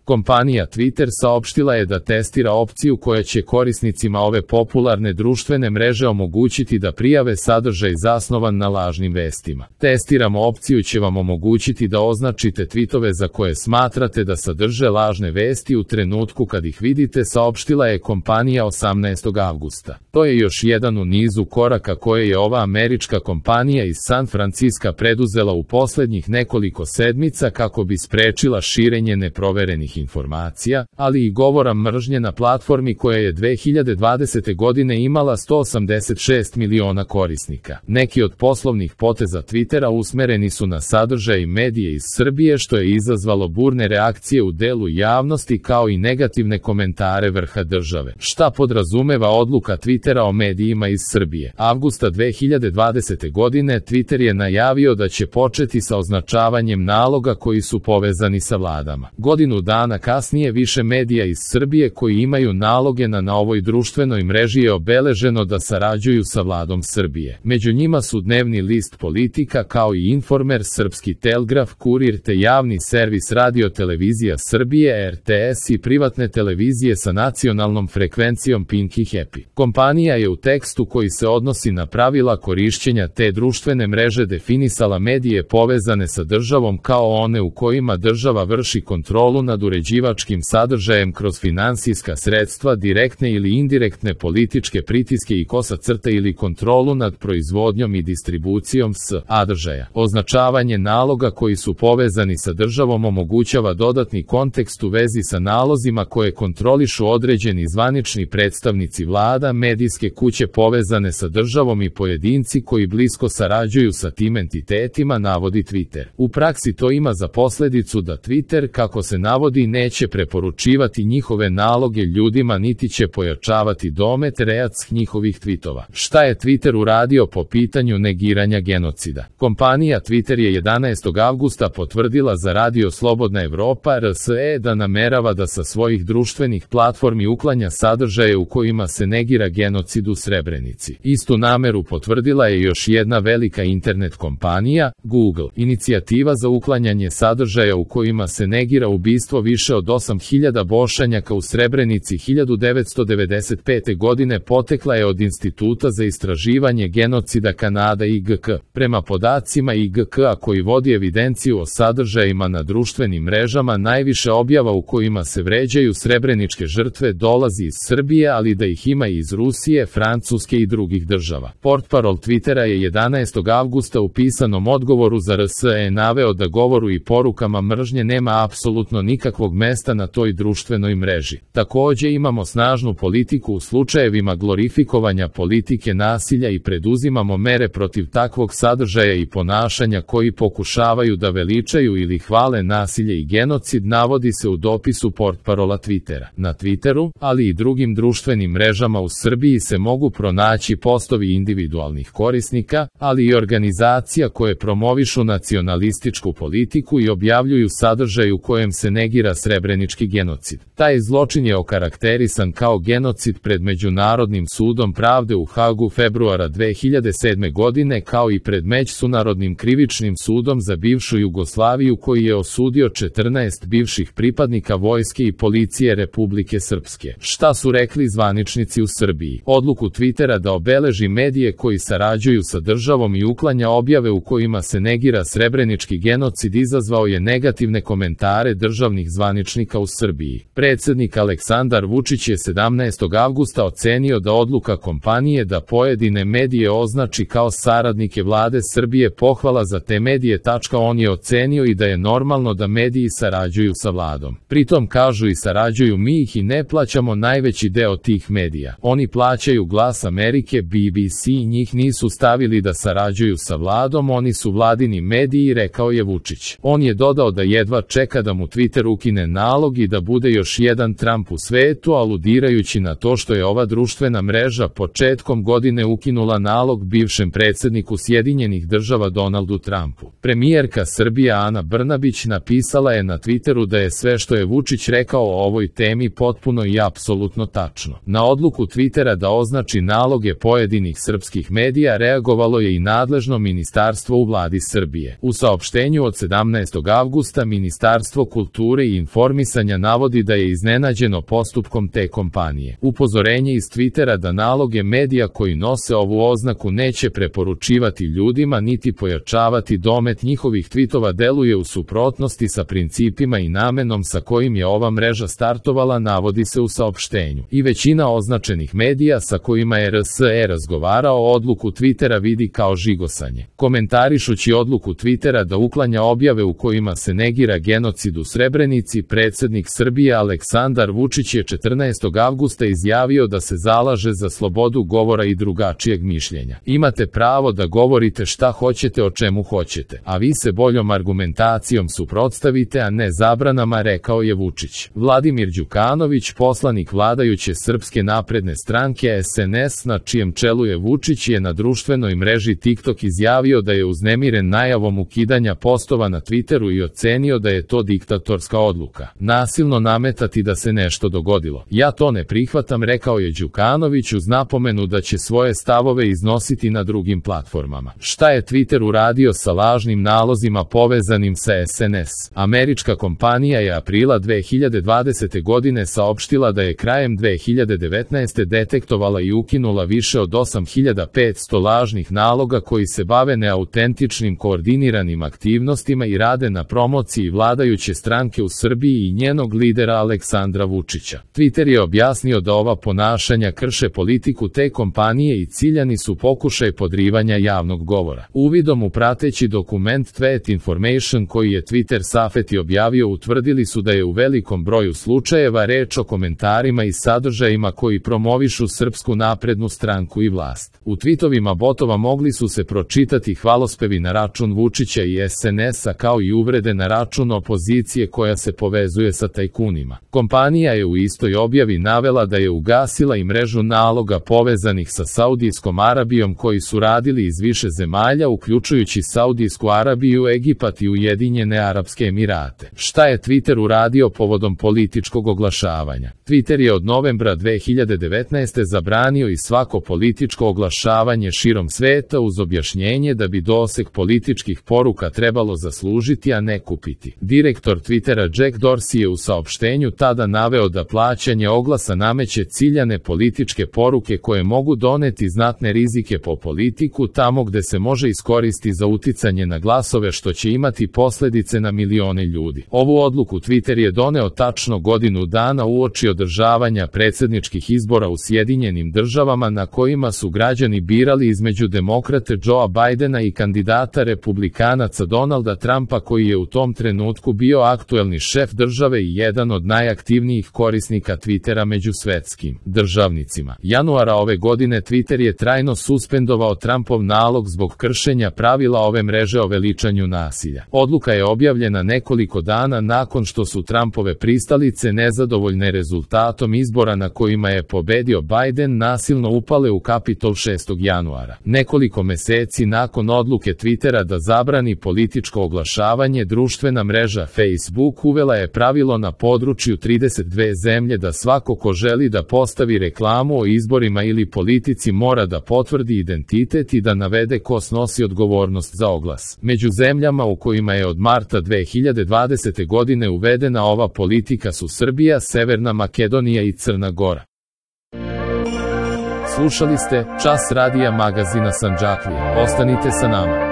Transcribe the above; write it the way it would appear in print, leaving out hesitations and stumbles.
Kompanija Twitter saopštila je da testira opciju koja će korisnicima ove popularne društvene mreže omogućiti da prijave sadržaj zasnovan na lažnim vestima. Testiramo opciju će vam omogućiti da označite tvitove za koje smatrate da sadrže lažne vesti u trenutku kad ih vidite, saopštila je kompanija 18. avgusta. To je još jedan u nizu koraka koje je ova američka kompanija iz San Franciska preduzela u poslednjih nekoliko sedmica kako bi sprečila širenje neproverenih informacija, ali i govora mržnje na platformi koja je 2020. godine imala 186 miliona korisnika. Neki od poslovnih poteza Twittera usmereni su na sadržaj i medije iz Srbije, što je izazvalo burne reakcije u delu javnosti kao i negativne komentare vrha države. Šta podrazumeva odluka Twittera o medijima iz Srbije? Avgusta 2020. godine Twitter je najavio da će početi sa označavanjem naloga koji su povezani sa vladama. Godinu dana kasnije više medija iz Srbije koji imaju naloge na ovoj društvenoj mreži je obeleženo da sarađuju sa vladom Srbije. Među njima su dnevni list Politika kao i Informer, Srpski Telegraf, Kurir te javni servis Radio Televizija Srbije RTS i privatne televizije sa nacionalnom frekvencijom Pink i Happy. Kompanija je u tekstu koji se odnosi na pravila korišćenja te društvene mreže definisala medije povezane sa državom kao one u kojima država vrši kontrolu nad uređivačkim sadržajem kroz finansijska sredstva, direktne ili indirektne političke pritiske i ili kontrolu nad proizvodnjom i distribucijom sadržaja. Označavanje naloga koji su povezani sa državom omogućava dodatni kontekst u vezi sa nalozima koje kontrolišu određeni zvanični predstavnici vlada, medijske kuće povezane sa državom i pojedinci koji blisko sarađuju sa tim entitetima, navodi Twitter. U praksi to ima za posledicu da Twitter, kako se navodi, neće preporučivati njihove naloge ljudima niti će pojačavati domet njihovih tweetova. Šta je Twitter uradio po pitanju negiranja genocida? Kompanija Twitter je 11. avgusta potvrdila za Radio Slobodna Evropa RSE da namerava da sa svojih društvenih platformi uklanja sadržaje u kojima se negira genocid u Srebrenici. Istu nameru potvrdila je još jedna velika internet kompanija, Google. Inicijativa za uklanjanje sadržaja u kojima se negira ubistvo više od 8000 Bošnjaka u Srebrenici 1995. godine potekla je od Instituta za istraživanje genocida Kanada IGK. Prema podacima IGK-a koji vodi evidenciju o sadržajima na društvenim mrežama, najviše objava u kojima se vređaju srebreničke žrtve dolazi iz Srbije, ali da ih ima i iz Rusije, Francuske i drugih država. Portparol Twittera je 11. avgusta u pisanom odgovoru za RSE naveo da govoru i porukama mržnje nema apsolutno nikakvog mesta na toj društvenoj mreži. Takođe imamo snažnu politiku u slučajevima glorifikovanja politike nasilja i preduzimamo mere protiv takvog sadržaja i ponašanja koji pokušavaju da veličaju ili hvale nasilje i genocid, navodi se u dopisu portparola Twittera. Na Twitteru, ali i drugim društvenim mrežama u Srbiji se mogu pronaći postovi individualnih korisnika, ali i organizacija koje promovišu nacionalističku politiku i objavljuju sadržaj u kojem se negira srebrenički genocid. Taj zločin je okarakterisan kao genocid pred Međunarodnim sudom pravde u Hagu februara 2007. godine kao i pred Međunarodnim krivičnim sudom za bivšu Jugoslaviju koji je osudio 14 bivših pripadnika vojske i policije Republike Srpske. Šta su rekli zvaničnici u Srbiji? Odluku Twittera da obeleži medije koji sarađuju sa državom i uklanja objave u kojima se negira srebrenički genocid izazvao je negativne komentare državnih zvaničnika u Srbiji. Predsednik Aleksandar Vučić je 17. avgusta ocenio da odluka kompanije da pojedine medije označi kao saradnike vlade Srbije pohvala za te medije. On je ocenio i da je normalno da mediji sarađuju sa vladom. Pritom kažu i sarađuju mi ih i ne plaćamo najveći deo tih medija. Oni plaćaju Glas Amerike, BBC, njih nisu stavili da sarađuju sa vladom, oni su vladini mediji, rekao je Vučić. On je dodao da jedva čeka da mu Twitter ukine nalog i da bude još jedan Trump u svetu, aludirajući na to što je ova društvena mreža početkom godine ukinula nalog bivšem predsedniku Sjedinjenih Država Donaldu Trumpu. Premijerka Srbije Ana Brnabić napisala je na Twitteru da je sve što je Vučić rekao o ovoj temi potpuno i apsolutno tačno. Na odluku Twittera da označi naloge pojedinih srpskih medija reagovalo je i nadležno ministarstvo u vladi Srbije. U saopštenju od 17. avgusta Ministarstvo kulture i informisanja navodi da je iznenađeno postupkom te kompanije. Upozorenje iz Twittera da naloge medija koji nose ovu oznaku neće preporučivati ljudima niti pojačavati domet njihovih tvitova deluje u suprotnosti sa principima i namenom sa kojim je ova mreža startovala, navodi se u saopštenju. I većina označenih medija sa kojima je RSE razgovarao odluku Twittera vidi kao žigosanje. Komentarišući odluku Twittera da uklanja objave u kojima se negira genocid u Srebrenici, predsjednik Srbije Aleksandar Vučić je 14. avgusta izjavio da se zalaže za slobodu govora i drugačijeg mišljenja. Imate pravo da govorite šta hoćete o čemu hoćete, a vi se boljom argumentacijom suprotstavite, a ne zabranama, rekao je Vučić. Vladimir Đukanović, poslanik vladajuće Srpske napredne stranke SNS na čijem čelu je Vučić, je na društvenoj mreži TikTok izjavio da je uznemiren najavom ukidanja postova na Twitteru i ocenio da je to diktatorska odluka. Nasilno nametati da se nešto dogodilo. Ja to ne prihvatam, rekao je Đukanović uz napomenu da će svoje stavove iznositi na drugim platformama. Šta je Twitter uradio sa lažnim nalozima povezanim sa SNS? Američka kompanija je aprila 2020. godine saopštila da je krajem 2019. detektovala i ukinula više od 8500 lažnih naloga koji se bave neautentičnim koordiniranim aktivnostima i rade na promociji vladajuće stranke u Srbiji i njenog lidera Aleksandra Vučića. Twitter je objasnio da ova ponašanja krše politiku te kompanije i ciljani su pokušaj podrivanja javnog govora. Uvidom u prateći dokument Threat Information koji je Twitter Safety objavio, utvrdili su da je u velikom broju slučajeva reč o komentarima i sadržajima koji promovišu Srpsku naprednu stranku i vlast. U tweetovima botova mogli su se pročitati hvalospevi na račun Vučića i SNS-a kao i uvrede na račun opozicije koja se povezuje sa tajkunima. Kompanija je u istoj objavi navela da je ugasila i mrežu naloga povezanih sa Saudijskom Arabijom koji su radili iz više zemalja uključujući Saudijsku Arabiju, Egipat i Ujedinjene Arapske Emirate. Šta je Twitter uradio povodom političkog oglašavanja? Twitter je od novembra 2019. zabranio i svako političko oglašavanje širom sveta uz objašnjenje da bi doseg političkih poruka trebalo zaslužiti, a ne kupiti. Direktor Twittera Jack Dorsey je u saopštenju tada naveo da plaćanje oglasa nameće ciljane političke poruke koje mogu doneti znatne rizike po politiku tamo gde se može iskoristiti za uticanje na glasove, što će imati posljedice na milione ljudi. Ovu odluku Twitter je doneo tačno godinu dana uoči održavanja predsjedničkih izbora u Sjedinjenim Državama na kojima su građani birali između demokrate Joea Bidena i kandidata republikanaca Donalda Trumpa koji je u tom trenutku bio aktuelni šef države i jedan od najaktivnijih korisnika Twittera među svetskim državnicima. Januara ove godine Twitter je trajno suspendovao Trumpov nalog zbog kršenja pravila ove mreže o veličanju nasilja. Odluka je objavljena nekoliko dana nakon što su Trumpove pristalice nezadovoljne rezultatom izbora na kojima je pobedio Biden nasilno upale u Kapitol 6. januara. Nekoliko meseci nakon odluke Twittera da zabrani političko oglašavanje, društvena mreža Facebook uvela je pravilo na području 32 zemlje da svako ko želi da postavi reklamu o izborima ili politici mora da potvrdi identitet i da navede ko snosi odgovornost za oglas. Među zemljama u kojima je od marta 2020. godine uvedena ova politika su Srbija, Severna Makedonija i Crna Gora. Slušali ste Čas radija magazina Sandžaklije. Ostanite sa nama.